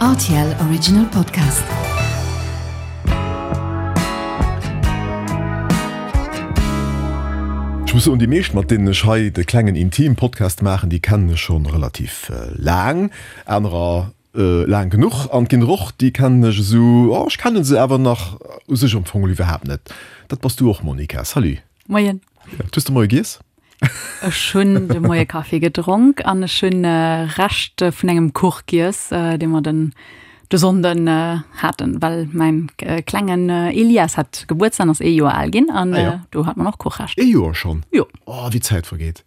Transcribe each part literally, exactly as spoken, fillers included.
R T L Original Podcast. Ech muss soen, déi meescht, mat deenen ech hei de klengen Intim-Podcast maachen, déi kennen ech schonn relativ laang, anerer laang genuch, an et ginn der och, déi kennen ech esou, oh, ech kennen se awer nach u sech am Fong iwwerhaapt net. Dat bass du och, Monica. Salut. Moien. Hues de Moie giess? Ech hunn de Moie Kaffi gedronk an ech hunn Rescht vun engem Kuch giess, dee mer den de Sonnden haten, well mäin klengen Elias hat Gebuertsdag an ass ee Joer al ginn an Ah ja. do hat mer och Kuchrescht. Ee Joer schonn? Jo. Oh, wéi d'Zäit vergeet.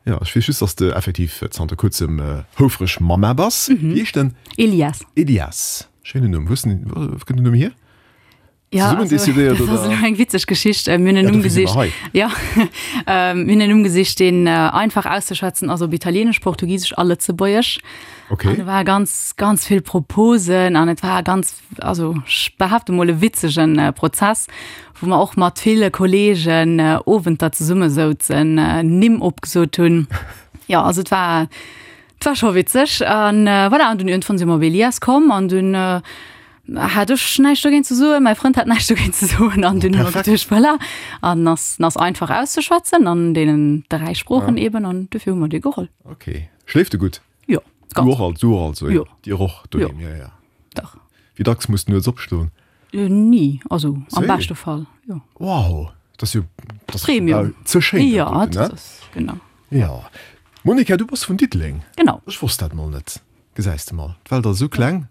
Jo, ech weess just, dass de effektiv zanter kuerzem houfreg Mamma bass. Wéi heescht en? Elias. Elias, schéinen Numm. Wou hues den, wou kënnt den Numm hier? Ja, Zesummen also, decidéiert dat ass oder? elo eng witzeg Geschicht. Mir hunn en Ja, Numm dofir si mer gesicht. hei. Ja, mir hunn en Numm gesicht, deen einfach auszeschwätzen ass op Italieenesch, Portugisesch a Lëtzebuergesch. Okay. An do ware ganz, ganz vill Proposen an et war ganz, also ech behaapte mol e witzegen Prozess, wou mer och mat ville Kolleegen Owenter zesummesouzen, Nimm opgesot hunn. Jo, also et war, et war scho witzeg. An voilà, an dunn iergendwann si mer op Elias komm an dunn hat ech näischt dogéint ze soen, mäi Frënd hat näischt dogéint ze soen an dunn hu mer geduecht, voilà, an ass, ass einfach auszeschwätzen an deenen dräi Sproochen eben an dofir hu mer dee geholl. Okay. Schléift e gutt? Jo, Du ganz. och also, du och also, Jo. Dir och doheem, Jo. ja, ja. Dach. Wéi dacks muss de nuets opstoen? Ni, also am Séi? beschte Fall, jo. Wow, dat ass jo, dat ass Premium. ze schéin, Ja, dat doten, dat ne? ass, genau. Ja. Monica, du bass vun Diddeleng. Genau. Ech wosst dat mol net. Gesäis de mol, d'Welt ass esou kleng.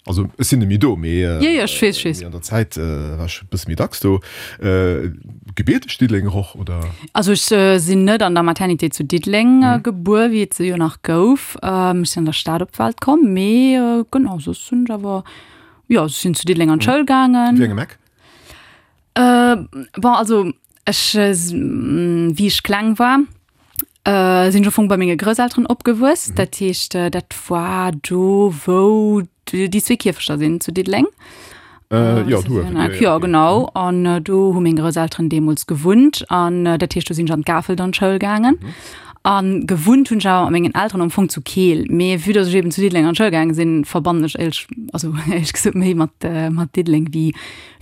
Also ech sinn net méi do, mee Jo, jo, ech weess, ech weess. an der Zäit war ech e bësse méi dacks do. Gebierteg Diddelenger och, oder? Also ech sinn net an der Maternité zu Diddeleng gebuer, wéi et se jo nach gouf. Ech sinn an der Stad op d'Welt komm, mee genau, soss hunn ech awer, jo, ech sinn zu Diddeleng an d'Schoul gaangen. Wéi engem Eck? Bon, also ech, wéi ech kleng war, sinn ech am Fong bei menge Grousselteren opgewuess. Dat heescht, dat war do, wou déi zwee Kierfechter sinn zu Diddeleng. Äh, ja, du, ja, ja, genau. An äh, do hu meng Grousselteren deemools gewunnt. An äh, dat heescht, do sinn ech an d'Gafelt an d'Schoul gaangen. Mhm. An gewunnt hunn ech awer mat mengen Elteren am Fong zu Keel. Mee vue dass ech eben zu Diddeleng an d'Schoul gaange sinn, verbannen ech éierlech, also éierlech gesot méi mat, äh, mat Diddeleng wéi,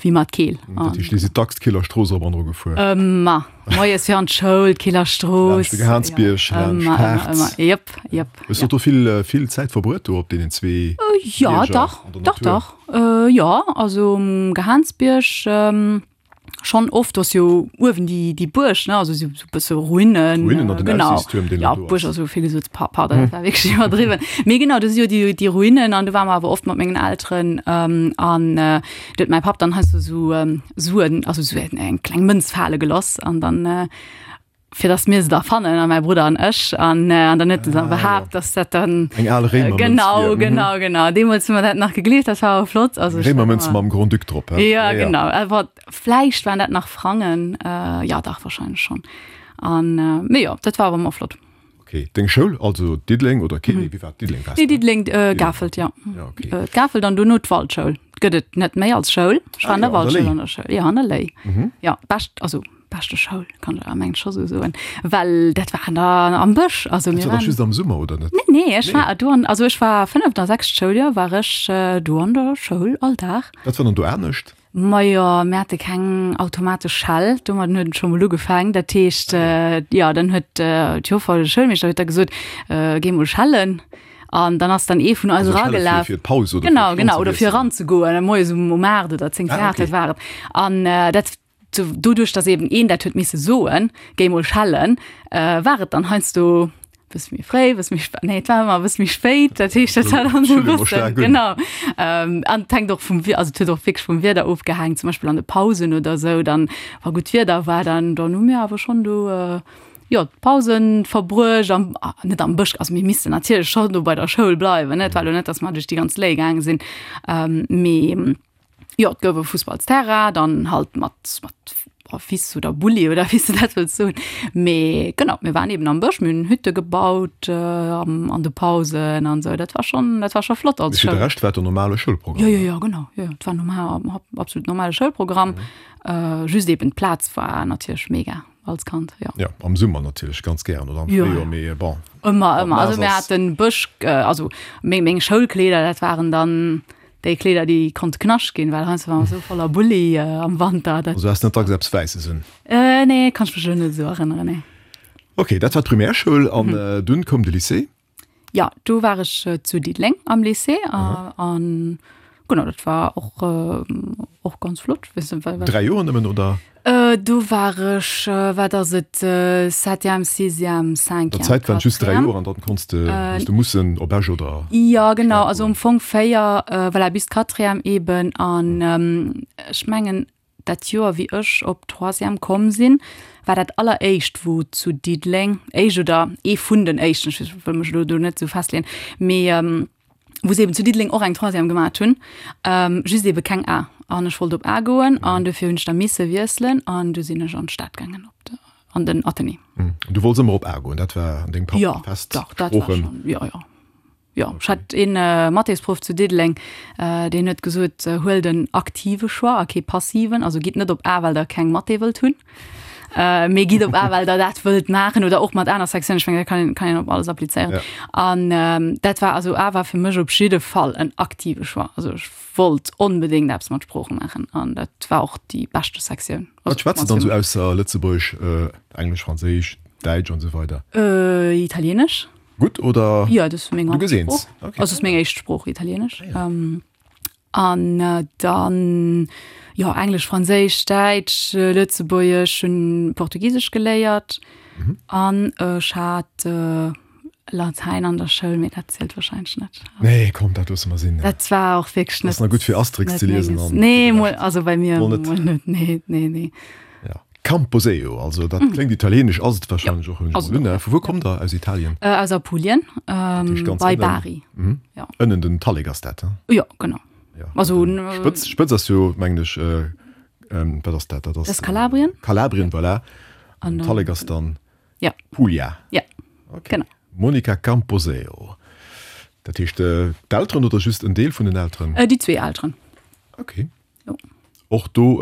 wéi mat Keel. Dat heescht, Dir sidd dacks d'Keeler Strooss erop an ero gefuer? Ëmmer. Moies fir an d'Schoul, d'Keeler Strooss. Laanscht de Gehaansbierg, Ja, laanscht ëmmer, ëmmer, d'Haarz. ëmmer. Jep, jep. Hues du do vill, vill Zäit verbruet do op deenen zwee Ja, Bierger dach, an der dach, Natur? dach. Äh, ja, also um Gehaansbierg ähm, schonn oft, do ass jo uewen déi, déi Buerg, ne, also sou e bësse Ruinen. Ruinen an den genau. Aussiichtstuerm, deen Ja, do Buerg ass. ass esou vill gesot, pa pardon, dat war wierklech iwwerdriwwen. Mee genau, do si jo déi, déi Ruinen an do ware mer awer oft mat mengen Elteren ähm, an äh, do huet mäi Papp dann heiansdo sou ähm, Suen, also sou eng kleng Mënz fale geloss an dann äh, fir dass mir se da fannen an mäi Brudder an ech an äh, an dann huet en dann Ah, behaapt, dass dat dann Eng al Réimermënz genau wier. Mhm. genau genau deemools hu mer dat nach gegleeft, dat war awer flott also ech war Réimermënz ëmmer mam Grand-Duc drop, hä? Ja, genau awer vläicht waren dat nach Frangen äh, ja dach wahrscheinlech schonn an äh, mee jo dat war awer ëmmer flott. Okay. Deng Schoul, also Diddeleng oder Keel? Nee, wéi war et? Diddeleng waars Nee, de? Diddeleng äh, Gafelt, ja. Ja, okay. Äh, d'Gafelt an dono d'Waldschoul. Gëtt et net méi als Schoul. Ech war Ah, an der jo, an der Waldschoul Léi. an der Schoul. Ja, an der Léi. Mhm. Ja, bescht, also beschte Schoul, kann ech mengen scho sou soen. Well dat war an der, am Bësch. Also Dat mir war dach waren just am Summer, oder net? Nee, nee, ech Nee. war do an, also ech war fënneft a sechst Schouljoer war ech äh, do an der Schoul all Dag. Wat war dann do anescht? Majo, mir hate keng automatesch Schell, domadden huet et scho mol ugefaangen. Dat heescht, jo, dann huet d'Joffer oder de Schoulmeeschter huet da gesot, Géi mol schellen. An dann ass dann ee vun eis Also schelle fir, eragelaf. fir d'Paus oder fir Genau, d'Stonn genau, ze oder fir wiesselen? eranzegoen, moies um, um aacht oder zéng Ah, vir aacht, okay. dat war et. An dat, doduerch, dass eben een dat huet misse soen, Géi mol schellen, war et dann heiansdo bësse méi fréi, bësse méi spéit, nee, et war ëmmer bësse méi spéit, dat heescht, dat war dann esou e bëssen, genau. Ähm, an et hänkt och vum, also et huet och wierklech vum Wieder ofgehaangen, zum Beispill an de Pausen oder esou, dann, wa gutt Wieder war, dann, dann hu mir awer schonn do, jo, d'Pausen verbruecht am, net am Bësch, also mir missten natierlech schonn do bei der Schoul bleiwen, ne, et war elo net, datt mer duerch déi ganz Léi gaange sinn, mee Jo, et gouf e Fussballsterrain, dann halt mat, mat Wiss oder Bulli oder wéi s de dat wëlls soen. Mee genau, mir waren eben am Bësch, mir hunn Hütte gebaut am, an de Pausen an esou. Dat war schonn, dat war scho flott als Mee fir de Schoul. Rescht war et en normale Schoulprogramm? Jo, jo, jo, genau, jo, jo, et war normal, absolut normale Schoulprogramm. Just eben d'Plaz war natierlech mega. als Kand, jo. Jo, am Summer natierlech ganz gären oder am Jo. Fréijoer, mee bon. Ëmmer, Wann ëmmer. Also naass mir ass. haten Bësch, also meng, meng Schoulkleeder, dat waren dann déi Kleeder, déi konnte knascht ginn, well heiansdo war mer esou voller Bulli am Wanter, dat. Also has net dacks eppes Wäisses un? Äh, nee, kann ech mech elo net esou erënneren, nee. Ok, dat war d'Primärschoul an dunn koum de Lycée. Jo, do war ech zu Diddeleng am Lycée an genau, dat war och och ganz flott. Dräi Joer nëmmen, oder? Do war ech, wat ass et, septième, sixième, cinquième, Der Zäit waren et just dräi quatrième. Joer an dann konns de, hues de mussen op Esch oder Jo, genau, Stad also goen. am Fong véier, voilà, bis d'Quatrième eben an ech mengen, Dat Joer wéi ech op d'Troisième komm sinn, war dat alleréischt wou zu Diddeleng, éischt oder ee vun den éischten, ech wëll mech elo do net esou festleeën, mee wou se eben zu Diddeleng och eng Troisième gemat hunn, just ebe keng A. An ech wollt op A goen an dofir hunn ech da misse wiesselen an du sinn ech an d'Stad gaangen op de, an den Athenée. Du wollts ëmmer op A goen, dat war an dengem Kapp Jo, fest dach, dat war Sproochen? schonn, jo, jo. Jo, ech hat een Mathésproff zu Diddeleng, deen huet gesot, huelt en aktive Choix a kee passiven, also gitt net op A, well der keng Mathé wëllt hunn, mee gitt op A, well der dat wëllt maachen oder och mat aner Sektiounen, ech mengen, dat kann een, kann een op alles applizéieren. An dat war, also A war fir mech op jidde Fall en aktive Choix, also ech wollt onbedéngt eppes mat Sprooche maachen an dat war och déi beschte Sektioun. Wat schwätzt de dann esou ausser Lëtzebuergesch, Englesch, Franséisch, Däitsch an esou weider? Italienesch. Gutt oder? Ja, dat ass meng Du geseens. Haaptsprooch. Okay. Also ass meng éischt Sprooch Italienesch. Ah, ja. ähm, an äh, dann ja Englesch, Franséisch, Däitsch, äh, Lëtzebuergesch, hunn Portugisesch geléiert Mhm. an ech hat äh, Latein an der Schoul, mee dat zielt wahrscheinlech net. Nee, komm, dat loosse mer sinn. Dat war och wierklech net. Ass nach gutt fir Asterix net ze liesen menges. an Nee, mol, also bei mir Mol net. mol net. Nee, nee, nee. Ja. Camposeo, also dat kléngt italienesch, ass et wahrscheinlech och, hunn ech Ass mol et un. och. Vu wou kommt der aus Italien? Äh, aus Apulien, Dat heescht ähm, ganz bei ënnen. Bari. Mhm. Ja. Ënnen den Tallek ass dat, he? Jo, genau. Ja. Also, Den Spëtz, Spëtz ass jo, mengen ech, äh, ähm, wat ass dat? Dat ass Das ist Kalabrien. Kalabrien, voilà. An An dann- Tallek ass dann Ja. Puglia. Ja. Okay. Genau. Monica Camposeo. Dat heescht, äh, d'Elteren oder just en Deel vun den Elteren? Äh, déi zwee Elteren. Okay. Jo. Och do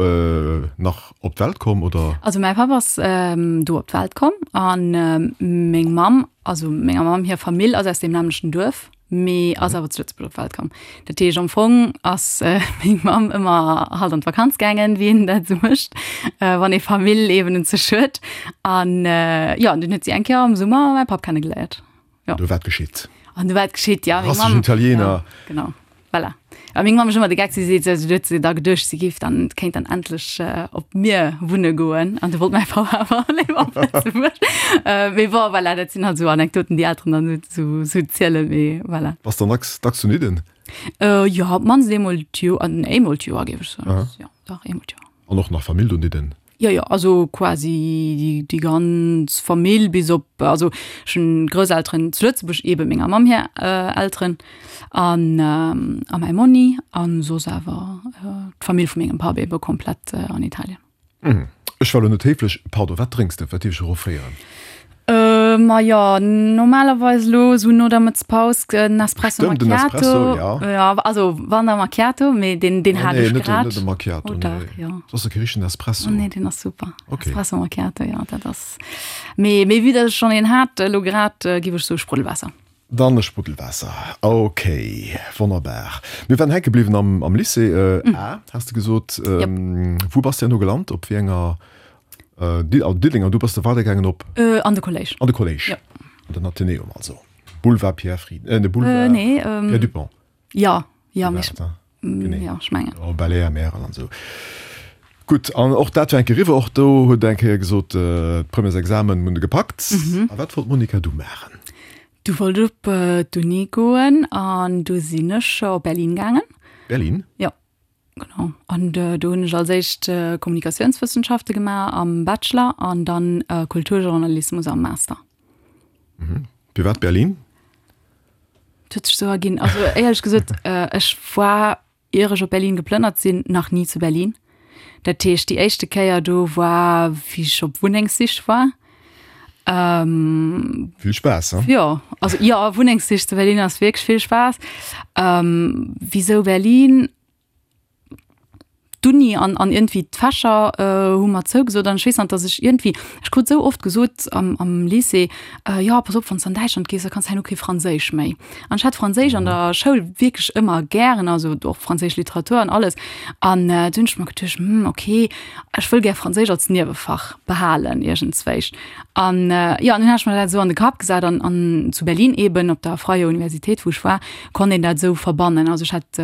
nach op d'Welt komm, oder? Also mäi Papp ass do op d'Welt komm an meng Mamm, also menger Mamm hir Famill ass aus deem nämmlechten Duerf, mee ass awer zu Lëtzebuerg op d'Welt komm. Dat heescht am Fong ass meng Mamm ëmmer halt an d'Vakanz gaangen, wéi een dat esou mécht, wann ee Famill eben un sech huet. An jo, an dunn huet si eng Kéier am Summer mäi Papp kennegeléiert. Jo. Do war et geschitt. An du war et geschitt, ja. Meng Rassegen Mamm, Italiener. ja, genau. Voilà. A meng Mamm mécht ëmmer de Geck, si seet, also du huet se da geduecht, si géif dann, kéint dann endlech äh, op mir wunne goen. An du wollt mäi Papp awer léiwer op Lëtzebuerg. Äh, mee bon, voilà, dat sinn halt esou Anekdoten, déi Elteren dann esou, esou zielen, mee voilà. Bass dann dacks, dacks zu Nidden? Äh, jo, op d'mannst eemol d'Joer, an eemol d'Joer, géif ech soen. Aha. Ja, dach, eemol d'Joer. An och nach Famill do Nidden? Jo, jo, also quasi déi ganz Famill bis op, also ech hunn Grousselteren zu Lëtzebuerg, eebe menger Mamm hir Elteren an a mäi Monni an soss awer d'Famill vu mengem Papp eebe komplett an Italien. Ech war elo net héiflech, pardon, wat drénks de? Wat dierf ech erofféieren? Ma jo, normalerweis elo esou no der Mëttespaus en Espresso Stëmmt, den Macchiato. Espresso, ja. Ja, also wann da Macchiato, mee deen, deen Ah, hat nee, ech net den, grad. net de Macchiato, Oh dach, nee. jo. Dat ass e richtegen Espresso. Oh nee, deen ass super. Okay. Espresso Macchiato, jo, dat ass. Mee, mee vue dass ech schonn een hat elo grad, giff ech soe Spruddelwaasser. Dann e Spruddelwaasser. Okay, wonnerbar. Mir waren hänke bliwwen am, am Lycée, äh, A, has de gesot. Jep. Wou bass de herno gelant? Op wéi enger? Diddeleng an du bass da weidergaangen op? An de Kolléisch. An de Kolléisch. Jo. An den Athenäum also. Boulevard Pierre Frieden, äh, ne Boulevard Äh, nee, ähm, Pierre Dupong. Ja, ja, mee War ech, et, ja, ech mengen. Oh, Belair, Märel an esou. Gutt, an och dat war eng Kéier eriwwer. Och do huet eng Kéier gesot, d'Premièresexamen hunn de gepackt. Mhm. A wat wollt d'Monica du maachen? Du wollt op d'Uni goen an du sinn ech op Berlin gaangen. Berlin? Jo. Genau. An do hunn ech als éischt Kommunikatiounswëssenschafte gemaach am Bachelor an dann Kulturjournalismus am Master. Mhm. Firwat Berlin? Et huet sech esou erginn. Also éierlech gesot, ech war, ier ech op Berlin geplënnert sinn, nach ni zu Berlin. Dat heescht, déi éischte Kéier do war, wéi ech op Wunnengssich war. Ähm, Vill Spaass, he? Jo, also jo, Wunnengssich zu Berlin ass wierklech vill Spaass. Ähm, wisou Berlin? d'Uni an, an iergendwéi d'Fächer hu mer zougesot an ech weess nach, dass ech iergendwéi, ech krut esou oft gesot am, am Lycée, jo, pass op, wann s de an Däitschland gees, da kanns de herno kee Franséisch méi. An ech hat Franséisch an der Schoul wierklech ëmmer gären, also och franséisch Literatur an alles. An du hunn ech mer geduecht, hm, okay, ech wëll gär Franséisch als Niewefach behalen iergendzwéich. An jo, an dunn hat ech mer dat esou an de Kapp gesat an, an zu Berlin eeben op der Freie Universität, wou ech war, konnt een dat esou verbannen. Also ech hat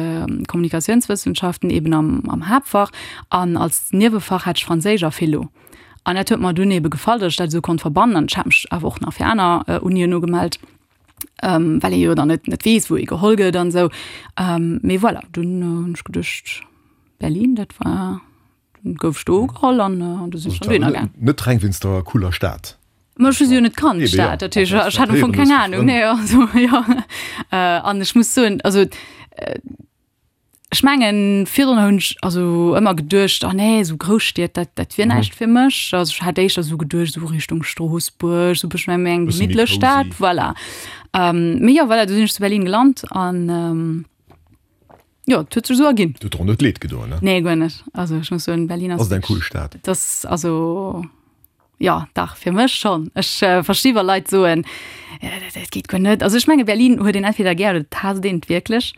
Kommunikatiounswëssenschaften eben am, am Haaptfach an als Niewefach hat ech Franséisch a Philo. An dat huet mer dunn ebe gefall, datt ech dat esou konnt verbannen. An ech hat mech awer och nach fir aner Unien ugemellt, well ee jo dann net, net weess, wou ee geholl gëtt an esou. Mee voilà, dunn hunn ech geduecht, Berlin, dat war, dunn gouf ech do ugeholl an du sinn ech dann dohinner gaang. Net reng wéinst der cooler Stad? Ma ech hu se jo net kannt, d'Stad, dat heescht, ech hat am Fong keng Anung. Nee, also jo. An ech muss soen, also ech mengen, virdrun hunn ech also ëmmer geduecht, oh nee, esou Grousstied, dat, dat wier näischt fir mech. Also ech hat éischter esou geduecht, esou Richtung Stroossbuerg, esou e bëssche méi eng gemittlech Stad, voilà. Mee jo, voilà, du sinn ech zu Berlin gelant an jo, et huet sech esou erginn. Et huet der och net leed gedoen, ne? Nee, guer net. Also ech muss soen, Berlin ass. Ass et eng cool Stad? Et ass also. Jo, dach, fir mech schonn. Ech versti wa Leit soen, dat geet guer net. Also ech menge Berlin huet een entweder gär oder et haasst een et wierklech.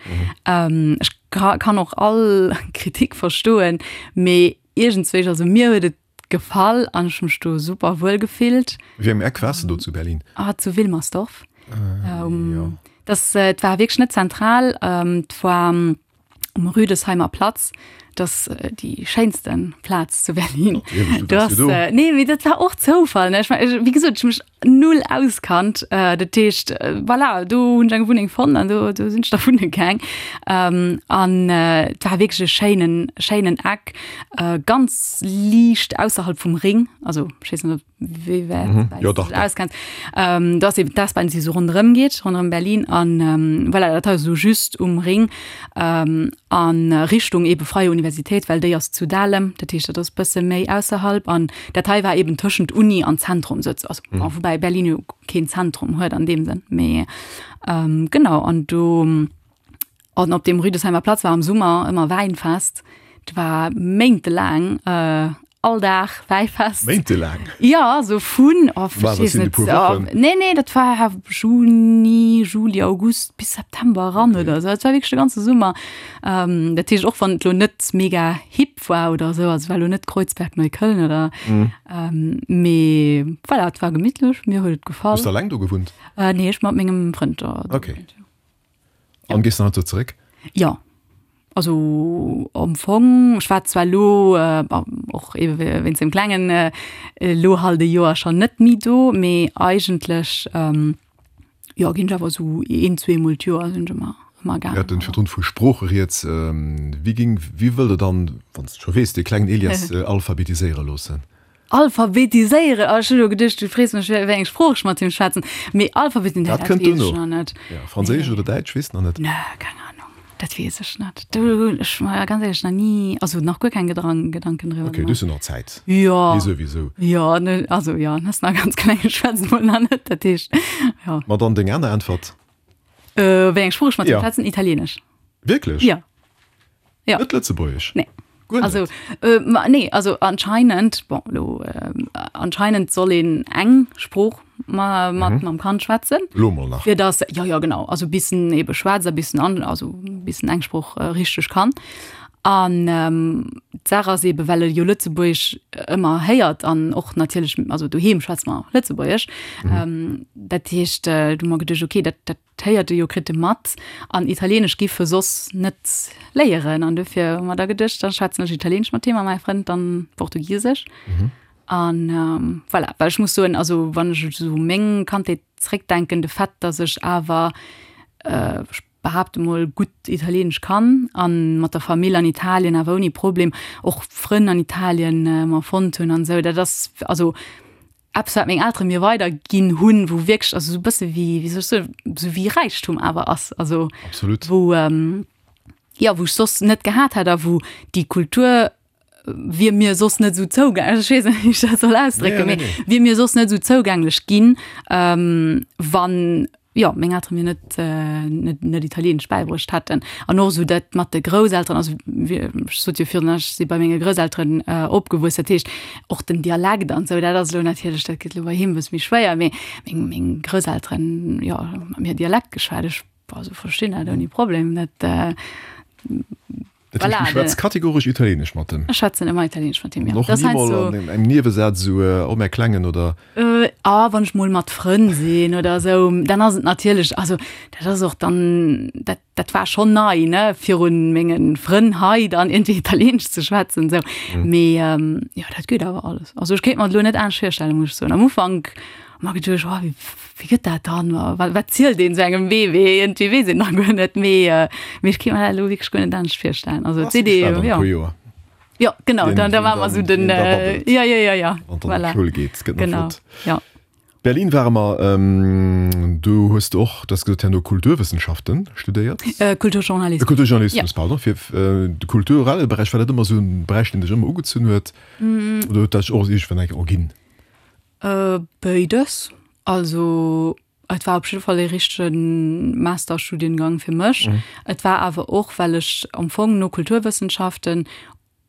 Ech kann och all Kritik verstoen, mee iergendzwéich, also mir huet et gefall an ech hu mech do super wuel gefillt. Wéi engem Eck waars de do zu Berlin? Ah, zu Wilmersdorf. Dat et war wierklech net zentral, et war. Um Rüdesheimer Platz, dat ass déi schéinste Plaz zu Berlin. Du ass, nee, mee dat war och Zoufall, ne? Ech mein, wéi gesot, ech hu mech null auskannt. Dat heescht, voilà, do hunn ech eng Wunneng fonnt an do, do sinn ech da wunne gaang. An et war wierklech e schéinen, schéinen Eck, ganz liicht ausserhalb vum Ring. Also, ech weess net, ob wéi wäit Mhm. Ja, du dach, dech dach. auskenns. Ähm, do ass eben d'S-Bahn, déi sou ronderëm geet, ronderëm Berlin. An ähm, voilà, dat ass sou just um Ring ähm, an Richtung ebe Freie Universität, well déi ass zu Dahlem, dat heescht, dat ass bësse méi ausserhalb. An dat hei war eben tëschent Uni an Zentrum sou, also Mhm. bon, woubäi Berlin jo keen Zentrum huet an deem Sënn, mee ähm, genau. An do An op dem Rüdesheimer Platz war am Summer ëmmer Wäinfest. Et war méintelaang all Dag Wäifest. Méintelaang? Jo, sou vun, oh, ech War weess dat sinn e net, puer Wochen? nee, nee, dat war Juni, Juli, August bis September eran Okay. oder sou. Et war wierklech de ganze Summer. Dat heescht, och wann et elo net mega hip war oder sou, also et war elo net Kreuzberg, Neukölln oder, mee voilà, et war gemittlech, mir huet et gefall. Hues de alleng do gewunnt? Nee, ech mat mengem Frënd do Okay. gewunnt, jo. An gees dann haut zeréck? Jo, also am Fong, ech war zwar elo och ebe wéinst dem Klengen elo halt e Joer schonn net méi do, mee eigentlech jo ginn ech awer esou een, zweemol d'Joer sinn ech ëmmer ëmmer Mir gaangen. haten virdrun vu Sprooche rieds. Wéi géing, wéi wëllt Der dann, wann s de scho weess, dee klengen Elias alphabetiséiere loossen? Alphabetiséieren? Oh, ech hunn elo geduecht, du frees mech, wéi eng Sprooch ech mat him schwätzen. Mee alphabetiséieren, Dat dat kënnt weess ech duerno. nach net. Ja, Franséisch oder Däitsch, weess nach net. Nee, keng Ahnung. Dat weess ech net. Do hunn ech mer ganz éierlech nach ni, also nach guer keng Gedrang, Gedanken driwwer Okay, du gemaach. hues jo nach Zäit. Jo. Hie souwisou. Jo, ne, also jo, en ass nach ganz kleng, ech schwätze mol nach net, dat heescht, jo. Ma dann deng aner Äntwert. Äh, wéi eng Sprooch ech mat him Ja. schwätzen? Italieenesch. Wierklech? Jo. Jo. Net Lëtzebuergesch? Nee. Guer Also, net? äh, ma nee, also anscheinend, bon, elo, äh, anscheinend soll een eng Sprooch ma mat Mhm. mam Kand schwätzen. Elo mol nach. Fir dass, jo, jo, genau, also bis en ebe schwätzt a bis en an, also bis en eng Sprooch äh, richteg kann. An ähm, d'Saach ass ebe, well e jo Lëtzebuergesch ëmmer héiert an och natierlech, also doheem schwätze mer Lëtzebuergesch, Mhm. ähm, dat heescht, äh, du hu mer geduecht, okay, dat, dat héiert e jo, kritt e mat, an Italieenesch giff e soss net léieren. An dofir hu mer da geduecht, da schwätzen ech Italieenesch mat him a mäi Frënd dann Portugisesch. Mhm. An ähm, voilà, well ech muss soen, also wann ech esou u meng Kandheet zréckdenken, de Fait, datt ech awer, äh, ech behaapte mol, gutt Italieenesch kann an mat der Famill an Italien awer ouni Problem, och Frënn an Italien mer fonnt hunn an esou, dat ass also eppes, wat meng Eltere mir weiderginn hunn, wou wierklech, also esou e bësse wéi, wéi soll ech soen, esou wéi Räichtum awer ass, also Absolut. wou, jo, wou ech soss net gehat hätt a wou déi Kultur wier mir soss net esou zougänglech, ech weess net, wéi ech dat soll ausdrécken, Nee, mee nee, nee. wier mir soss net esou zougänglech ginn, wann, jo, meng Eltere mir net, net, net Italieenesch bäibruecht hätten. An och esou dat mat de Grousselteren, also ech sot jo virun, ech si bei menge Grousselteren opgewuess, dat heescht och den Dialekt an esou, dat ass elo natierlech, dat gëtt elo bei him e bësse méi schwéier, mee meng, meng Grousselteren, jo, hu mat mir Dialekt geschwat, ech, also verstinn dat ouni Problem, dat. Dat heescht, du schwätz kategoresch Italieenesch mat em? Ech schwätzen ëmmer Italieenesch mat him, jo. An och ni mol an engem Niewesaz esou, oh mäi Klengen oder? Ah, wann ech mol mat Frënn sinn oder esou, dann ass et natierlech, also dat ass och dann, dat, dat war schonn nei, ne, virun menge Frënn hei dann iergendwéi Italieenesch ze schwätzen esou. Mee jo, dat geet awer alles. Also ech kéint mer et elo net anescht virstellen, muss ech soen. Am Ufank hu mer geduecht, oh wéi, wéi gëtt dat dann, wat, wat zielt een esou engem Bébé, iergendwéi weess een da guer net. Mee, mee ech kéint mer dat elo wierklech guer net anescht virstellen. Also et seet ee jo, jo. Joer. Jo, genau, dann, da war mer esou den, jo, jo, jo, jo, Wann dann voilà. d'Schoul geet, gëtt nach Genau, flott. jo. Berlin ware mer, do hues de och, du has gesot, herno Kulturwëssenschaften studéiert? Kulturjournalismus. Kulturjournalismus, pardon. Fir de kulturelle Beräich, war dat ëmmer esou e Beräich, deen dech ëmmer ugezunn huet? Oder huet dat sech och iergendwann eng Kéier erginn? Béides. Also et war op jidde Fall ee richtege Masterstudiengang fir mech. Et war awer och, well ech am Fong no Kulturwëssenschaften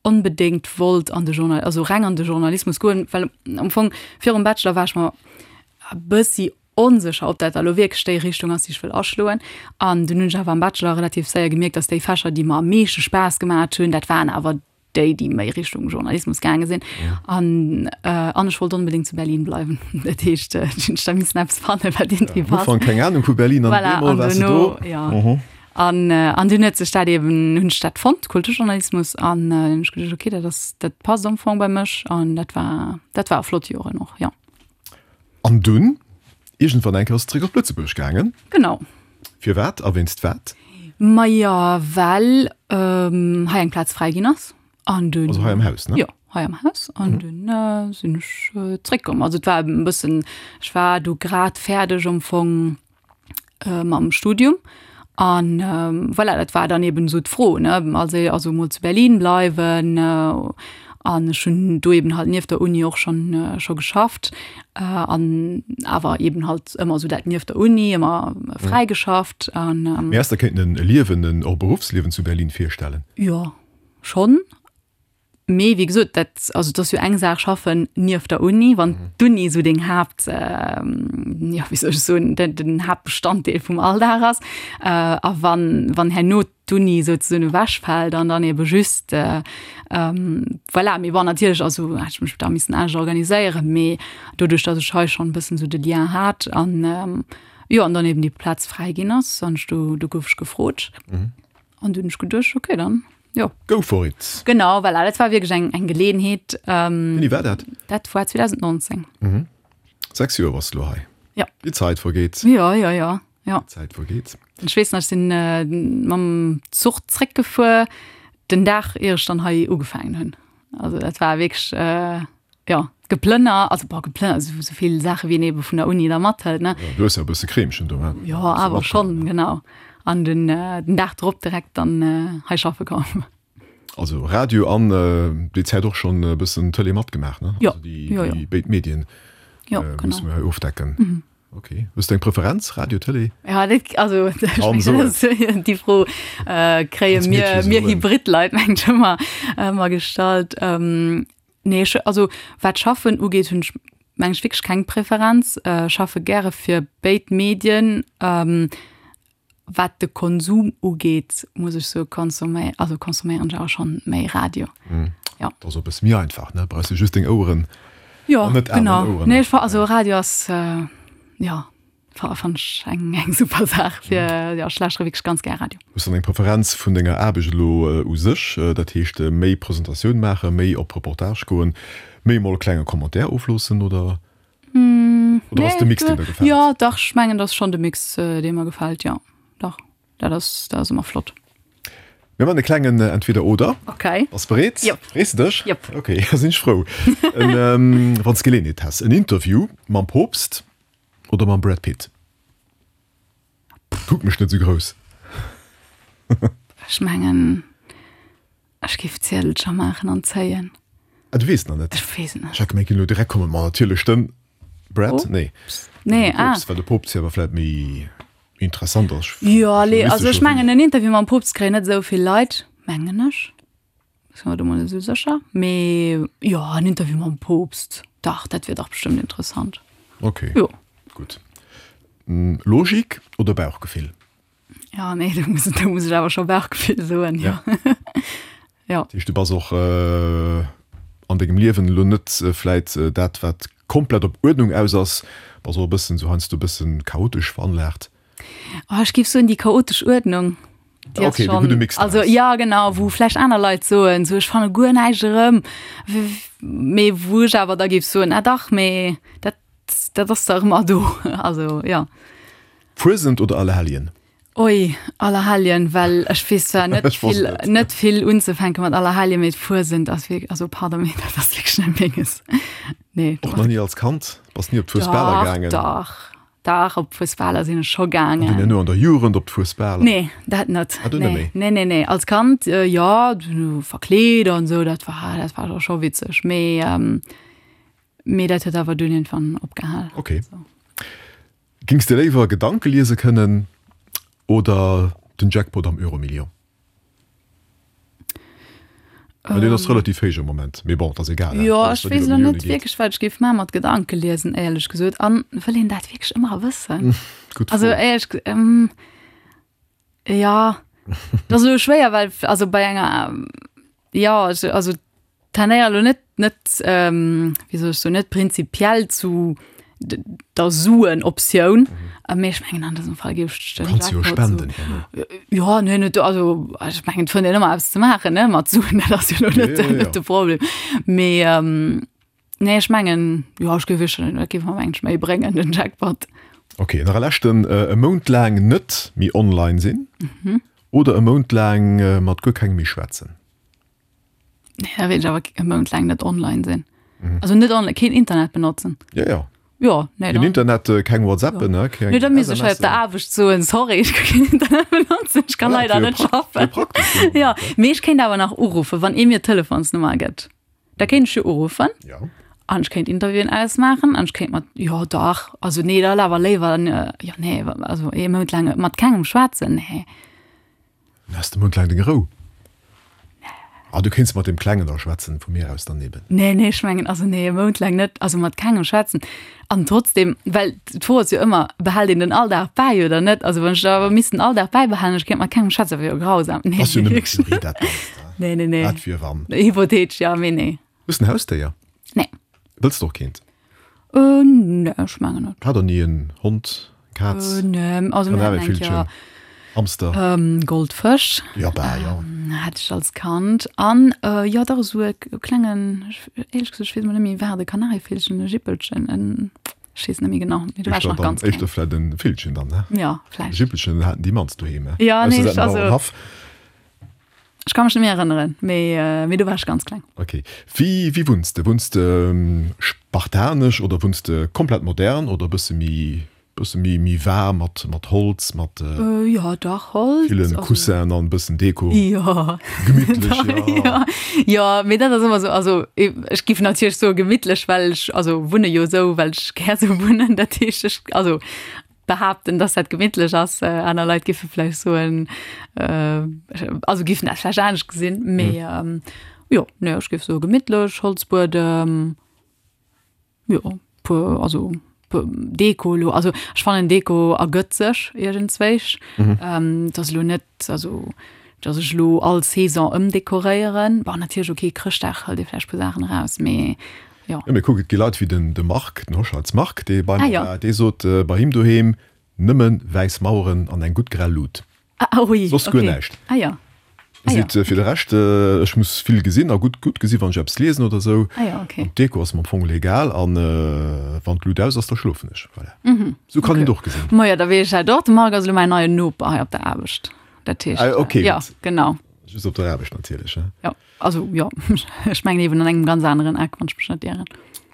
onbedéngt wollt an de Journal, also reng an de Journalismus goen, well am Fong virum Bachelor war ech mer e bëssi onsécher, ob dat da lo wierklech déi Richtung ass, déi ech wëll aschloen. An dunn hunn ech awer am Bachelor relativ séier gemierkt, dass déi Fächer, déi mer am meeschte Spaass gemat hunn, dat waren awer déi, déi méi Richtung Journalismus gaange sinn. An, an ech wollt onbedéngt zu Berlin bleiwen. Dat heescht, ech hunn da missen eppes fannen, wat iergendwéi passt. Am Ufank keng Ahnung vu Berlin an Voilà, op eemol an waars de duerno, do. jo. An, an dunn huet sech dat eben, hunn ech dat fonnt, Kulturjournalismus, an hunn ech geduecht, okay, dat ass, dat passt am Fong bei mech. An dat war, dat war flott Joren och, jo. An dunn iergendwann eng Kéier ass et zeréck op Lëtzebuerg gaangen. Genau. Firwat a wéinst wat? Majo, well hei eng Plaz fräi ginn ass. An dunn. Also hei am Haus, ne? Jo, hei am Haus. An dunn sinn ech zeréckkomm. Also et war e bëssen, ech war du grad fäerdeg am Fong mam Studium. An voilà, dat war dann eben esou d'Fro, ne, also also mol zu Berlin bleiwen. An ech hunn do eben halt nieft der Uni och schonn scho geschafft an awer eben halt ëmmer esou dat nieft der Uni ëmmer fräi geschafft an. Mee häss der kéinten e Liewen, en och Beruffsliewen zu Berlin virstellen? Jo, schonn. Mee wéi gesot, dat, also et ass jo eng Saach schaffen nieft der Uni, wann d'Uni esou deng Haapt, jo wéi soll ech soen, den den Haaptbestanddeel vum Alldag ass. A wann wann herno d'Uni souzesoen ewechfält an dann ebe just, voilà, mee bon natierlech, also hätt ech mech da missen anescht organiséieren, mee doduerch datt ech hei schonn e bëssen esou de Lien hat an jo an dann eben déi Plaz fräi ginn ass an ech do do gouf ech gefrot an du hunn ech geduecht, okay dann jo. Go for it! Genau, voilà, dat war wierklech eng eng Geleeënheet. Wéini war dat? Dat war zweedausendnonzéng. Sechs Joer bass de lo hei. Jo. Déi Zäit vergeet. Jo, jo, jo, jo. Déi Zäit vergeet. Ech weess nach, ech sinn mam Zuch zréckgefuer, den Dag ier ech dann hei ugefaangen hunn. Also dat war wierklech, jo, Geplënner, also bon, Geplënner, esou esou vill Saache wéi een ebe vun der Uni da mathëlt, ne. Jo, du hues jo e bësse Kreemchen do, he? Jo, awer schonn, genau. An den den Dag drop direkt dann hei schaffe komm. Also Radio an déi Zäit och schonn e bëssen Tëlee matgemaach, ne? Jo, Also déi, jo, jo. déi béid Medien Jo, musse genau. mir hei ofdecken. Ok. Hues de eng Preferenz, Radio, Tëlee? Ja, dat, also ech Kaum mengen, soen. dat ass déi Fro kréie Als mir, Meedche mir soen. Hybrid-Leit mengen ech ëmmer, ëmmer gestallt. Nee, ech, also wat Schaffen ugeet, hunn ech mengen ech wierklech keng Preferenz. Ech schaffe gäre fir béid Medien. Wat de Konsum ugeet, muss ech soe konsomé, also consomméieren ech awer schonn méi Radio. Jo. Dat ass och e bësse méi einfach, ne? Brauchs de just deng Oueren Jo, an net aner genau. Oueren. Nee, ech fa, also Radio ass, jo, fa fannen ech eng eng super Saach fir, jo, ech lauschtere wierklech ganz gär Radio. Hues de dann eng Preferenz vun denger Aarbecht elo u sech? Dat heescht méi Presentatioun maachen, méi op Reportage goen, méi emol e klenge Commentaire ofloossen oder? Oder ass de Mix deen der gefält? Jo, dach, ech mengen, dat ass schonn de Mix, dee mer gefält, jo. Dach, dat ass, dat ass ëmmer flott. Mir man e klengen Entweder-Oder. Okay. Bass bereet? Jop. Frees de dech? Jop. Okay, da sinn ech frou. En, wann s d'Geleeënheet häss, en Interview mam Poopst oder mam Brad Pitt? Kuck mech net esou grouss. Ech mengen, ech géif Ziedelcher maachen an zéien. Ah, du weess nach net? Ech weess et net. Ech hat gemengt, ginn elo direkt kommen, ma natierlech den. Brad? Nee. Nee, ah. Poopst, well de Poopst jo awer vläit méi interessant ass. Jo, nee, also ech mengen en Interview mam Poopst kréien net esou vill Leit, mengen ech. Sinn mer do mol net esou sécher. Mee jo, en Interview mam Poopst, dach, dat wier dach bestëmmt interessant. Okay. Jo. Gutt. Logik oder Bauchgefill? Ja, nee, do muss, do muss ech awer scho Bauchgefill soen, jo. Ja. Jo. Dat heescht, du bass och an dengem Liewen elo net vläit dat, wat komplett op Uerdnung aus ass, bass och e bëssen esou heiansdo e bëssen chaotesch veranlaagt? Oh, ech géif soen, déi chaotesch Uerdnung, déi ass Okay, de gudde schonn, Mix also draus. ja genau, wou vläicht aner Leit soen, sou ech fanne guer näischt erëm, mee wou ech awer da géif soen, ah dach, mee dat, dat ass dach ëmmer do, also ja. Fuesent oder Allerhelljen? Oi, Allerhelljen, well ech weess zwar net Ech wosst vill, et. net vill unzefänke mat Allerhelljen, mee d'Fuesent ass wierk, also pardon, mee dat ass wierklech net menges. Nee, Och nach ni als Kand? Bass ni op d'Fuesbaler Dach, gaangen? dach, dach, op d'Fuesbaler sinn ech scho An dunn gaangen. herno an der Jugend op d'Fuesbaler? Nee, dat net. Ah, du net Nee, méi? nee, nee, nee. Als Kand, äh, jo, du verkleet an esou, dat war, dat war da scho witzeg, mee, ähm, mee dat huet awer dunn iergendwann opgehal. Okay. So. Gings de léiwer Gedanke liese kënnen oder den Jackpot am Euromillion? Well deen ass relativ héich am Moment, mee bon, et ass egal, Jo, alles ech wat weess iwwer elo Millioune net geet. wierklech, wat ech géif maache mat Gedanke liesen, éierlech gesot. An wëll een dat wierklech ëmmer wëssen? Gutt Also Fro. éierlech, jo, dat ass elo schwéier, well also bei enger, jo, also tendéiere elo net, net, wéi soll ech soen, net prinzipiell zu der Suen-Optioun. Mhm. Mee ech mengen an dësem Fall géif ech den Kanns jo Jackpot spenden so, herno. Ja, nee, net, also ech mengen et fënnt een ëmmer eppes ze maachen, ne, mat Suen, dat ass jo elo net, Ja, ja, ja. net de Problem. Mee ähm, nee, ech mengen, jo, ech géif wierklech, dat géif mer mengen ech méi bréngen, den Jackpot. Okay, nach e leschten, E Mount laang net méi online sinn Mhm. oder e Mount laang mat guer kengem méi schwätzen? Nee, da wéilt ech awer e Mount laang net online sinn. Also net online, keen Internet benotzen. Ja, ja. Ja, nee, Keen dann. Internet, äh, keng WhatsAppen, ja. ne, keng Nee, da misst ech hei op der Aarbecht soen, sorry, ech ka keen Internet benotzen, ech kann Ja, leider wier net pra- wier schaffen. praktesch fir den Ja, Moment, mee ech kéint awer nach uruffen, wann ee mir d'Telefonsnummer gëtt. Da kéint ech jo uruffen. Ja. An ech kéint Interviewen ausmaachen an ech kéint mat, jo dach, also nee, da awer léiwer, jo nee, also ee Mount laang mat kengem schwätzen, nee. Dann has de Mount laang deng Rou. Ah, du kéints mat deem Klengen da schwätzen, vu mir aus dann eben. Nee, nee, ech mengen, also nee, e Mount laang net, also mat kengem schwätzen. An trotzdem, well d'Fro ass jo ëmmer, behält een den Alldag bäi oder net? Also wann ech da awer misst den Alldag bäibehalen, ech kéint mat kengem schwätzen, dat wier jo grausam. Nee, Ass jo nëmmen wierklech Theorie, net. dat Ganzt, he? Nee, nee, nee. Dat wier wann. Hypothetesch, ja, mee nee. Hues de en Hausdéier? Nee. Wëlls de och keent? Äh, nee, ech mengen net. Hat der ni en Hond, Kaz, Äh, nee, also mir haten eng Kanarievillchen, Kéier Hamster? ähm, Goldfësch. Ja, bah, ja. Ähm, hat ech als Kand. An äh, jo, dach esou e klengen, ech, éierlech gesot, ech weess mol net méi, war et e Kanarievillchen, e Jippelchen, en, ech weess net méi genau, mee do war ech Éischter nach dann, ganz kleng. éischter vläit e Villchen dann, ne? Ja, vläicht. Jippelchen haten déi mannst doheem, ne? Ja, nee, Ausser ech, se haten also, Bauernhaff. ech ka mech net méi erënneren, mee, äh, mee do war ech ganz kleng. Okay. Wéi, wéi wunns de? Wunns de spartanesch oder wunns de komplett modern oder e bësse méi, bësse méi, méi waarm mat, mat Holz, mat Äh, ja, dach, Holz, villen also. Coussinen an e bëssen Deko? Ja. Gemittlech, ja. Ja, ja, mee dat ass ëmmer sou, also ech géif natierlech soe gemittlech, well ech, also wunne jo sou, well ech gär sou wunnen, dat heescht ech, also behaapten, dass dat gemittlech ass. Aner Leit géife vläicht soen, also géifen dat vläicht anescht gesinn, mee jo, nee, ech géif soe gemittlech, Holzbuedem, jo, puer, also puer Deko elo, also ech fannen Deko ergëtt sech iergendzwéich. Et ass elo net, also dass ech elo all Saison ëmdekoréieren. Bon, natierlech, okay, Chrëschtdag hëlt ee vläicht puer Saachen eraus, mee Jo. Jo, mee kuck, et gi Leit wéi den de Marc, den Hoscheitz Marc, dee bei Ah mer jo. war, dee sot, bei him doheem nëmme wäiss Maueren an eng gutt grell Lut. Ah ui, Soss guer okay. näischt. Ah jo. Ah jo. Seet, fir de Rescht, ech muss vill gesinn a gutt gutt gesi wann ech eppes liesen oder esou. Ah jo, okay. An d'Deko ass mer am Fong legal an wann d'Lut aus ass, da schlofen ech. Voilà. Mhm. Esou kann een Okay. et och gesinn. Majo, da weess ech dat och. De Marc ass elo mäin neien Noper hei op der Aarbecht. Dat heescht, Ah, okay, jo, gutt. genau. Just op der Aarbecht natierlech, he? Jo, also jo, ech mengen eben an engem ganz aneren Eck, wann ech mech net ieren.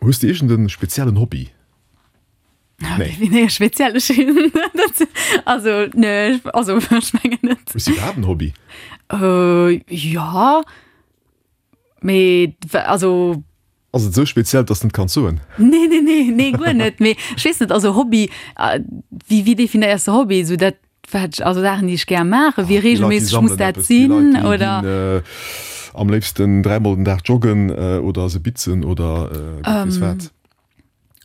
Hues de iergend en speziellen Hobby? Nee. Wéi nee, speziell ech dat also nee, also ech mengen net. Hues de iwwerhaapt en Hobby? Äh, jo, mee also. Ass et esou speziell, dass de net kanns soen? Nee, nee, nee, nee, guer net. Mee ech weess net, also Hobby, wéi, wéi definéiers de Hobby? Esou dat, wat ech, also Saachen, déi ech gär maachen, wéi reegelméisseg muss dat sinn, oder? Déi Leit, déi ginn am léifsten dräimol den Dag joggen oder se bitzen oder Gott weess wat.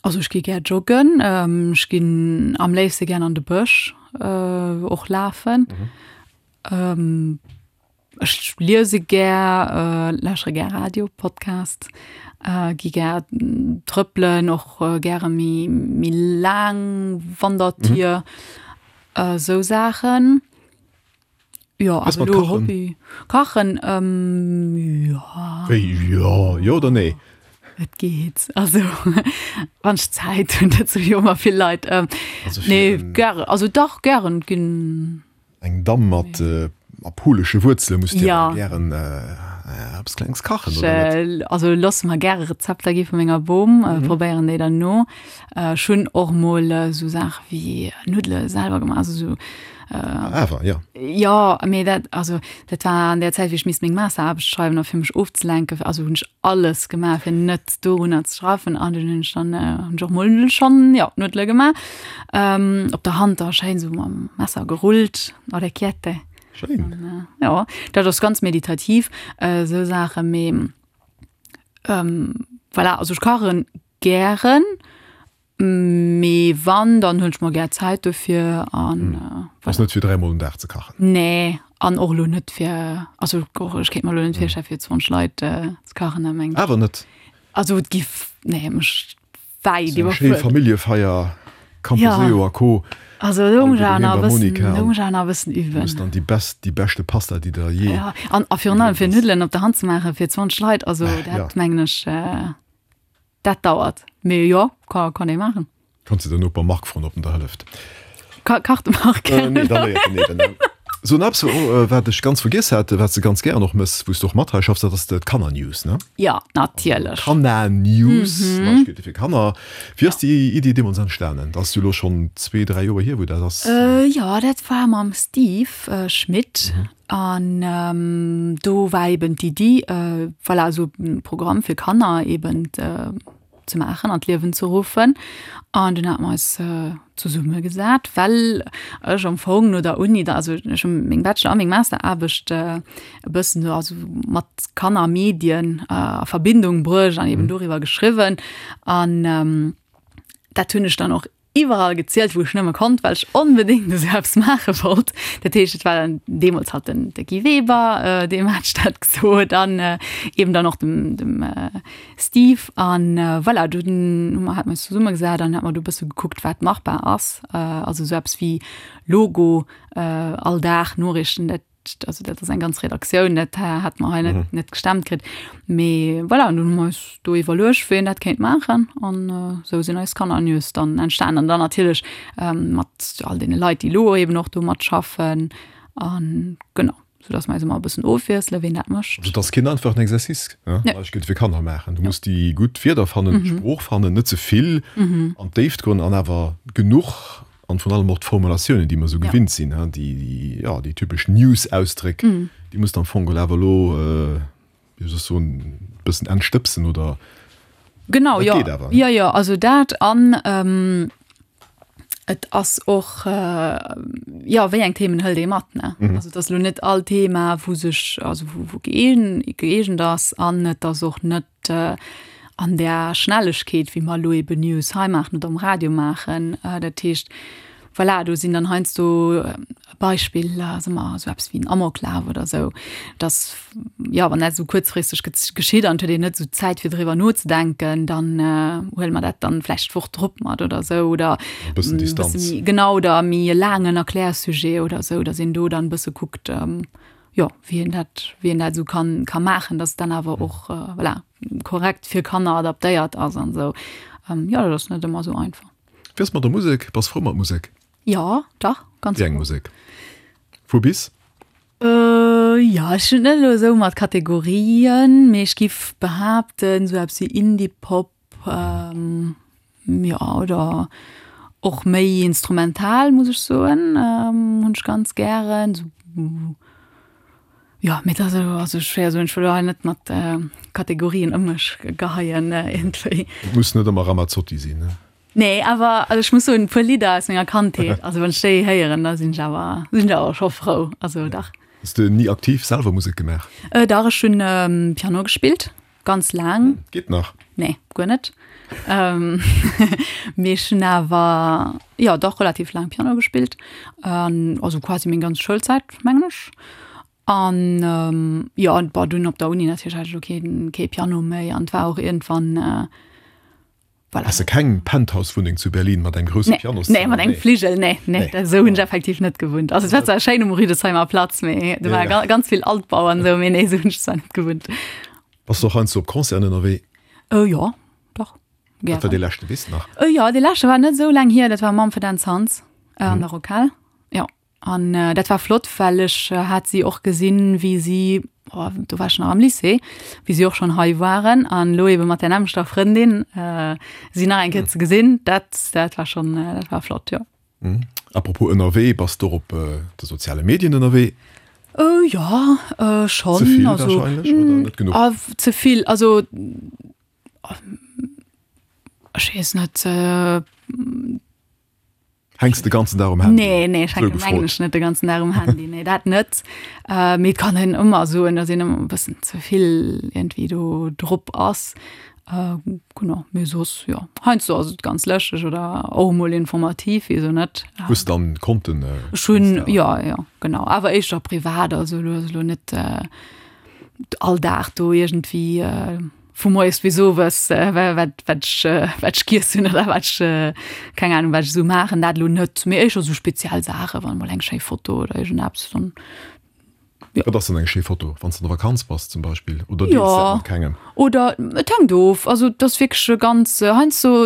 Also ech gi gär joggen, ech ginn am léifste gär an de Bësch och lafen. Ech liese gär, lauschtere gär Radio, Podcast, gi gär trëppelen, och gäre méi méi laang Wandertier, esou Saachen. Jo, awer elo Hobby, kachen, jo. Wéi jo? Jo oder nee? Et geet, also wann ech Zäit hunn, dat soe jo ëmmer vill Leit. Nee, gäre, also dach gären ginn. Eng Damm mat apulesche Wuerzele muss dir awer gären eppes Klengs kachen, oder net? Also loosse mer gäre Rezepter gi vu menger Bom, probéieren déi dann no. Ech hunn och mol esou Saache wéi Nuddele selwer gemaach, also esou. Awer, jo. Jo, mee dat, also dat war an där Zäit, wéi ech misst meng Masteraarbecht schreiwen a fir mech ofzelenken, also hunn ech alles gemaach, fir net dorunner ze schaffen an dunn hunn ech dann, hunn ech och mol schonn, jo, Nuddele gemaach. Op der Hand da schéin esou mam Messer gerullt, Orecchiette. Schéin. Jo, dat ass ganz meditativ, esou Saachen, mee voilà, also ech kachen gären, mee wann, dann hunn ech mer gär Zäit dofir an. Ass net fir dräimol den Dag ze kachen. Nee, an och elo net fir, also ech kéint mer elo net virstellen, fir zwanzeg Leit ze kachen, dat mengen ech. Awer net? Also et giff, nee, mech wäit iwwerfuerderen. Eng schéi Familljefeier, Camposeo a Co. Also do muss ech awer nach e bëssen, do muss ech awer nach e bëssen üben. Muss dann déi best, déi beschte Pasta, déi der je. Ja, an a virun allem fir Nuddelen op der Hand ze maachen fir zwanzeg Leit, also dat mengen ech, dat dauert. Mee jo, ka kann ee maachen. Kanns de den Noper Marc froen, ob en der hëlleft. Ka kacht de Marc? Nee, da léiert en eben. So, an eppes, wat ech ganz vergiess hat, wat s de ganz gären och mëss, wou s de och mat hei schaffs, dat ass d'Kannernews, ne? Ja, natierlech. Kannernews, Neiegkeete fir Kanner. Wéi ass déi Iddi deemools entstanen? Dat ass jo elo schonn zwee, dräi Joer hier, wou dat ass. Jo, dat war mam Steve Schmit. An do war eben d'Iddi, voilà, esou e Programm fir Kanner eben ze maachen, an d'Liewen ze ruffen. An dunn hate mer eis zesummegesat, well ech am Fong no der Uni, also ech hu meng Bachelor a meng Masteraarbecht e bëssen esou also mat Kannermedien a Verbindung bruecht an eben doriwwer geschriwwen. An dat hunn ech dann och iwwerall gezielt, wou ech nëmme konnt, well ech onbedéngt esou eppes maache wollt. Dat heescht, et war dann deemools halt den de Guy Weber, deem hat ech dat gesot an eben dann och dem dem Steve. An voilà, dunn hu mer hat mer eis zesummegesat an hat mer do e bësse gekuckt, wat machbar ass. Also esou eppes wéi Logo, all Dag Noriichten, dat also dat ass eng ganz Redaktioun, dat hat mer hei net, net gestemmt kritt. Mee voilà, an dunn hu mer eis do iwwerluecht, wien dat kéint maachen an esou sinn eis Kannernews dann entstanen. An dann natierlech mat all deene Leit, déi elo eben och do matschaffen an genau, soudass mer eis ëmmer e bëssen ofwiesselen, wien dat mécht. Also et ass keen einfachen Exercice, ne? Nee. Ech géif fir Kanner maachen. Du muss déi gutt Wierder fannen, d'Sprooch fannen, net ze vill an d'Déift goen an awer genuch An vrun allem och d'Formulatiounen, déi mer esou gewinnt sinn, déi, jo, déi typesch News-Ausdréck, déi muss de am Fong geholl awer elo, wéi soll ech soen, e bëssen entstëbsen oder? Genau, jo. Dat geet awer. Jo, jo, also dat an et ass och, jo, wéi eng Themen hëlt ee mat, ne? Also et ass elo net all Thema, wou sech, also wou, wou gëeegent ass an et ass och net, an där Schnellegkeet, wéi mer elo eben News hei maachen oder um Radio maachen. Dat heescht, voilà, do sinn dann heiansdo, Beispill, soe mer esou eppes wéi en Amoklaf oder esou, dass, jo, wann dat esou kuerzfristeg geschitt an et huet een net esou Zäit fir driwwer nozedenken, dann huele mer dat dann vläicht d'Woch drop mat oder esou oder E bëssen Distanz. méi, genau, oder méi e laangen Erklärsujet oder esou, dass een do dann e bësse kuckt, jo, wéi een dat, wéi een dat esou kann, ka maachen, dass et dann awer och, voilà, korrekt fir Kanner adaptéiert ass an esou. Jo, dat ass net ëmmer esou einfach. Wéi ass mat der Musek? Bass frou mat Musek? Jo, dach, ganz Wéi eng frou. Musek? Vu bis? Jo, ech hunn net elo esou mat Kategorien, mee ech giff behaapten, esou eppes wéi Indie-Pop, Jo, oder och méi instrumental, muss ech soen, hunn ech ganz gären. Sou Jo, mee dat ass elo also schwéier soen, ech wëll elo hei net mat Kategorien ëm mech geheien iergendwéi. Et muss net ëmmer Ramazzotti sinn, ne? Nee, awer also ech muss soen, e puer Lidder aus menger Kandheet, also wann ech déi héieren, da sinn ech awer, sinn ech awer scho frou, also dach. Hues de ni aktiv selwer Musek gemaach? Dach, ech hunn Piano gespillt, ganz laang. Geet nach? Nee, guer net. Mee ech hunn awer, jo dach relativ laang Piano gespillt, also quasi meng ganz Schoulzäit, mengen ech. An jo, an bon, dunn op der Uni natierlech hat ech elo keen, kee Piano méi an et war och iergendwann, voilà. Has de keng Penthouse-Wunneng zu Berlin mat engem grousse Pianoszëmmer? Nee, mat engem Fligel, nee, nee, dat esou hunn ech effektiv net gewunnt. Also et war zwar schéin um Rüdesheimer Platz, mee do war ga ganz vill Altbau an esou, mee nee, esou hunn ech zwar net gewunnt. Bass de och heiansdo op Concerten ënnerwee? Jo, dach, gären. Wat war dee leschte, weess de nach? Jo, dee leschte war net esou laang hier, dat war Mumford and Sons an der Rockhal, jo. An dat war flott, well ech hat si och gesinn, wéi si, oh, do war ech nach am Lycée, wéi si och schonn hei waren an elo ebe mat där nämmlechter Frëndin si nach eng Kéier ze gesinn, dat, dat war schonn, dat war flott, jo. Apropos ënnerwee, bass de och op de soziale Medien ënnerwee? Jo, schonn. Ze vill warscheinlech oder net genuch? Ze vill, also ech weess net. Hänks de ganzen Dag um Handy? Nee, nee, ech hänken mengen ech net de ganzen Dag um Handy. Nee, dat net. Äh, mee et kann een ëmmer soen, datt een ëmmer e bëssen ze vill iergendwéi do drop ass. Äh, genau, mee soss, jo, heiansdo ass et ganz lëschteg oder och emol informativ, wisou net. Hues dann Konten? Ech hunn, jo, jo, genau, awer éischter privat, also elo ass elo net all Dag do iergendwéi vu moies bis owes wat wat ech wat ech giess hunn oder wat ech keng Ahnung wat ech esou maachen, dat elo net, mee éischter esou speziell Saachen, wann emol eng schéi Foto oder iergendeppes dann jo. Wat ass dann eng schéi Foto, wann s de an der Vakanz bass zum Beispill oder deels dat mat kengem? Jo, oder et hänkt of, also et ass wierklech ganz heiansdo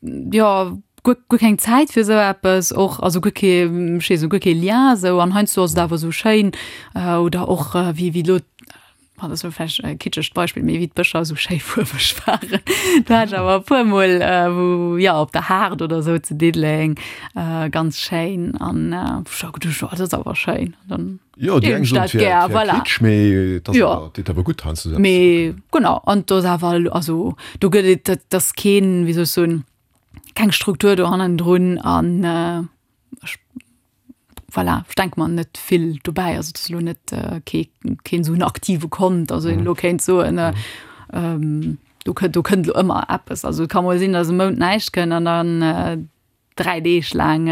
jo guer guer keng Zäit fir esou eppes och, also guer kee ech weess net guer kee Lien esou an heiansdo ass et awer esou schéin oder och wéi wéi elo Ah, dat ass elo vläicht e kitschegt Beispill, mee wéi d'Bëscher esou schéi fuerweg waren, do hat ech awer e puermol, wou, jo, op der Haard oder esou zu Diddeleng, ganz schéin an ech hu geduecht, oh, dat ass awer schéin. An dann Jo, déi deelen eng ech soen, dat et wär, gär, et wär voilà. Kitsch, mee et ass Jo. awer, deet awer gutt heiansdo esou eppes ze Mee kucken. genau, an et ass awer, also do gëtt et, dat ass keen, wéi soll ech soen, keng Struktur do hannendrun an ech voilà, ech denke mer net vill dobäi. Also et ass elo net kee keen esou en aktive Kont, also een elo kéint soen, do kënnt do kënnt elo ëmmer eppes. Also et ka mol sinn, datt e Mount näischt kënnt an dann dräi Deeg laang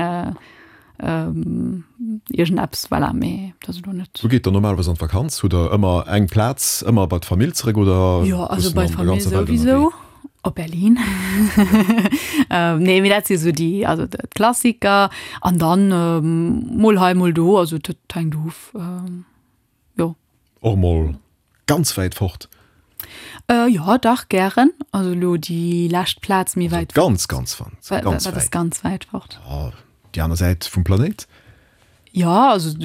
iergendeppes, voilà, mee dat ass elo net. Wou geet der normalerweis an d'Vakanz? Hutt der ëmmer eng Plaz, ëmmer bei d'Famill zeréck oder Jo, also bist bei du an der d'Famill ganzer Welt souwisou. ënnerwee? Op Berlin. Nee, mee dat si sou déi, also d'Klassiker. An dann mol hei, mol do, also dat hänkt of, jo. Och mol ganz wäit fort? Jo, dach, gären. Also elo déi lescht Plaz méi wäit fort. Ganz, ganz, ganz wäit. Wat ass ganz wäit fort? Déi aner Säit vum Planéit? Jo, also.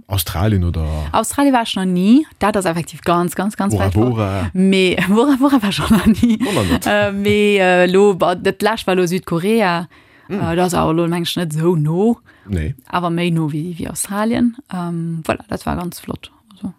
Australien oder? Australien war ech nach ni. Dat ass effektiv ganz, ganz, ganz Bora wäit fort. Bora. Mee Bora Bora war ech och nach ni. Och nach net. Mee elo, bon, dat lescht war elo Südkorea. Dat ass awer elo, meng ech, net esou no. Nee. Awer méi no wéi, wéi Australien. Voilà, dat war ganz flott. Also,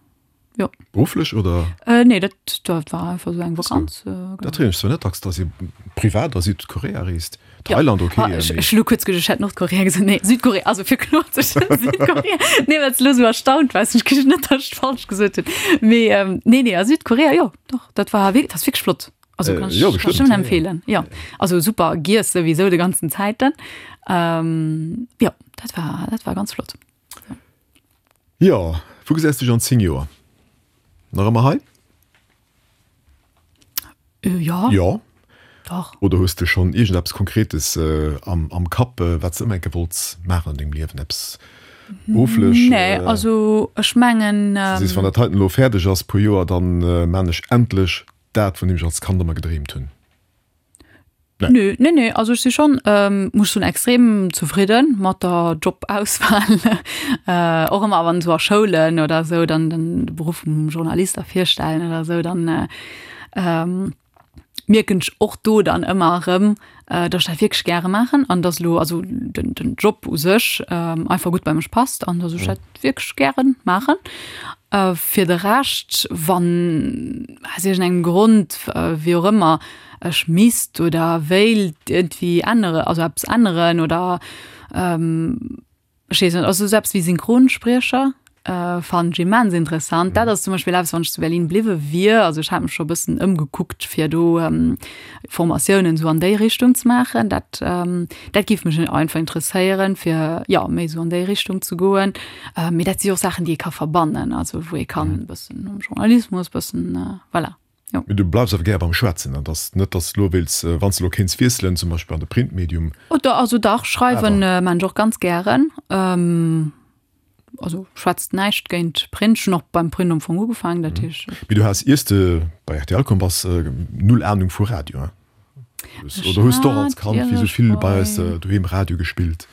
jo. Berufflech oder? Nee, dat, dat war einfach esou eng Vakanz. Dat héieren ech zwar net dacks, dass ee privat a Südkorea reest. Thailand ok. Ah, ech, ech hu lo kuerz geduecht, ech hätt Nordkorea gesot. Nee, Südkorea, also fir kloer ze stellen, Südkorea. Nee, well s de lo esou erstaunt waars, ech krich net, datt ech falsch gesot hunn. Mee ähm, nee, nee, a Südkorea, jo, doch, dat war wierk, dat ass wierklech flott. Also Äh, kann ech, jo, kann ech bestimmt, nëmmen ja, ja. empfeelen. Jo, also super giess souwisou de ganzen Zäiten. Ähm, jo, dat war, dat war ganz flott. Jo, wou gesäis du dech an zéng Joer? Nach ëmmer hei? Äh, jo. Jo. Dach. Oder hues de schonn iergendeppes Konkretes am, am Kapp, wat s de ëmmer enke wollts maachen an dengem Liewen? Eppes berufflech? Nee, also ech mengen. Du sees, wann dat heiten elo fäerdeg ass, puer Joer, dann maan ech endlech dat, vun deem ech als Kand ëmmer gedreemt hunn. Nee. Nö, nee, nee, also ech si schonn, muss soen, extrem zefridden mat der Jobauswahl. Och ëmmer wann esou a Schoulen oder esou dann den Beruff vum Journalist da virstellen oder esou, dann Mierken ech och do dann ëmmer erëm, dass ech dat wierklech gäre maachen an dass elo also den, den Job u sech einfach gutt bei mech passt an dass ech dat wierklech gäre maachen. Fir de Rescht, wann aus iergendengem Grond, wéi och ëmmer, ech misst oder wéilt iergendwéi ännere, also eppes änneren oder ech weess net, also esou eppes wéi Synchronspriecher fannen ech immens interessant. Dat ass zum Beispill eppes, wann ech zu Berlin bliwwe wier, also ech hat mech scho e bëssen ëmgekuckt, fir do Formatiounen esou an déi Richtung ze maachen. Dat, dat géif mech einfach interesséieren, fir, jo, méi esou an déi Richtung ze goen. Mee dat si och Saachen, déi ee ka verbannen, also wou ee kann e bëssen am Journalismus, bëssen, voilà. Jo. Mee du bleifs awer gär beim Schwätzen, et ass net, datt s de elo wéilts, wann s de elo kéints wiesselen, zum Beispill an de Printmedium? Oh, also dach, schreiwen maan ech och ganz gären. Also schwätzt näischt géint Print. Ech hunn och beim Print am Fong ugefaangen, dat heescht. Mee du has, iers de bei rtl komm bass, null Anung vu Radio, hein? Oder hues de och als Kand, wéi sou vill bei eis doheem, Radio gespillt?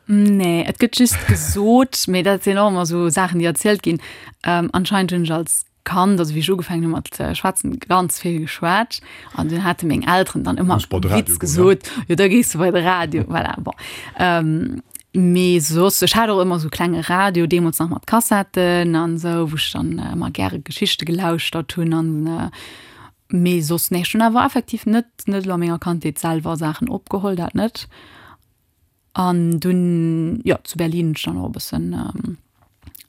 Nee, et gëtt just gesot, mee dat sinn och ëmmer sou Saachen, déi erzielt ginn, anscheinend hunn ech als Kand, also wéi ech ugefaangen hu mat schwätzen, ganz vill geschwat an dunn hate meng Elteren dann ëmmer Witz gesot, jo da gees du bei de Radio, voilà, bon. Ähm, mee soss, ech hat och ëmmer sou klenge Radio, deemools nach mat Kassetten an esou, wou ech dann ëmmer gäre Geschichte gelauschtert hunn an mee soss, nee, ech hunn awer effektiv net, net elo a menger Kandheet selwer Saachen opgeholl, dat net. An dunn, jo, zu Berlin hunn ech dann och e bëssen,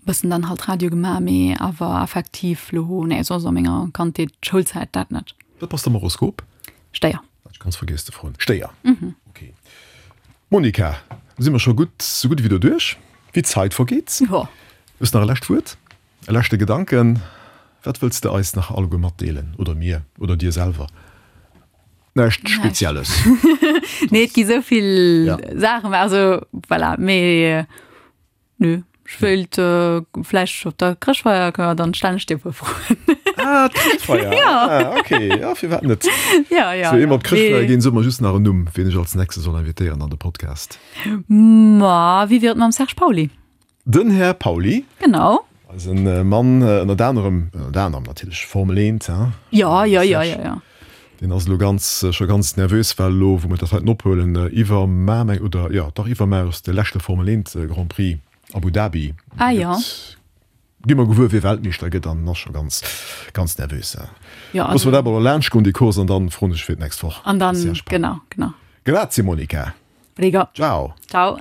bëssen dann halt Radio gemaach, mee awer effektiv lo, nee, soss a menger Kandheet, Schoulzäit, dat net. Wat bass de am Horoskop? Stéier. Hat ech ganz vergiess ze froen. Stéier, ok. Monica, da si mer scho gutt, sou gutt ewéi doduerch. Wéi d'Zait vergeet. Jo. Hues nach e lescht Wuert, e leschte Gedanken? Wat wëlls de eis nach alleguer matdeelen, oder mir, oder dir selwer? Näischt Spezielles. Nee, et gi sou vill Saachen, also voilà, mee nö. Ech wéilt vläicht op der Chrëschtfeier kënne mer dann stellen ech dir e puer Froen. Ah, d'Chrëschtfeier! Ja. Ah, okay, ja, firwat net? Ja, ja. Sou, ier mer op d'Chrëschtfeier ginn, so mer just nach en Numm, wien ech als nächste soll invitéieren an de Podcast. Ma wéi wier et mam Serge Pauly? Den Här Pauly. Genau. Eisen Mann, ënnert anerem, ënnert anerem natierlech Formel eent, hein? Ja, ja, ja, ja, ja. Deen ass elo ganz, scho ganz nervös, well elo, wou mer dat heiten ophuelen, iwwermar, meng, oder jo, dach iwwermar ass de leschte Formel eent Grand Prix. Abu Dhabi. Ah jo. Gi mer gewuer wie Weltmeeschter gëtt an ass scho ganz ganz nervös. Jo, Loosse mer dat mol laanscht goen déi Course an dann froen ech fir d'nächst Woch. An dann, genau, genau. Grazie Monica. Prego. Ciao. Ciao.